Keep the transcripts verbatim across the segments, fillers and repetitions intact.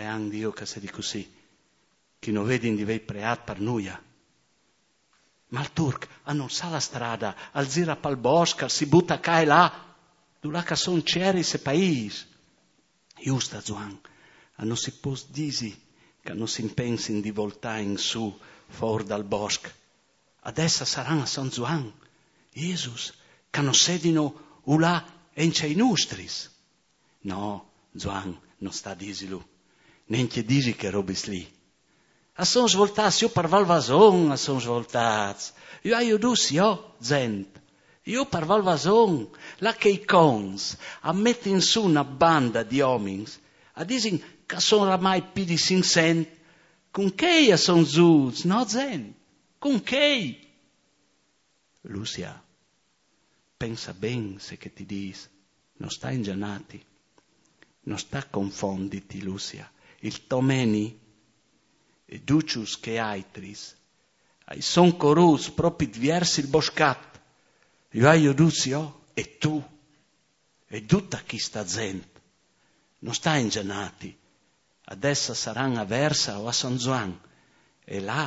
Prean Dio che sedi cussì, chi no vedin di vei preat par nuia. Ma il turc a non sa la strada, al zira pal bosc, al si buta ca e là, dulà ca son cieris e paîs. Just a Zuan, a no si pos disi ca no si impensin di voltâ in su four dal bosc. Adès a saran a San Zuan, Jesus, ca no sedino ulà encja i nustris. No, Zuan, no sta disilu. Nencje disi che robis li. A son svoltâts, jo par Valvason a son svoltâts. Jo ai jodûts jo, zent. Jo par Valvason, là che i cons a metin su na banda di omins, a disin ca son oramai pi di cinccent. Cun chei a son zûts, no, zent? Cun chei? Lucia, pensa ben ce che ti dîs, no sta ingianâti, no sta confonditi, Lucia. Il to Meni e ducjus chei aitris a i son corûts propit viers il boscat. Jo ai jodûts jo e tu e duta chista zent. No sta ingianâti, adès a saran a Versa o a San Zuan, e là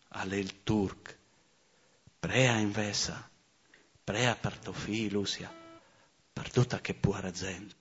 al è il turc. Prea invezit, prea par to fi, Lucia, par duta chê puara zent.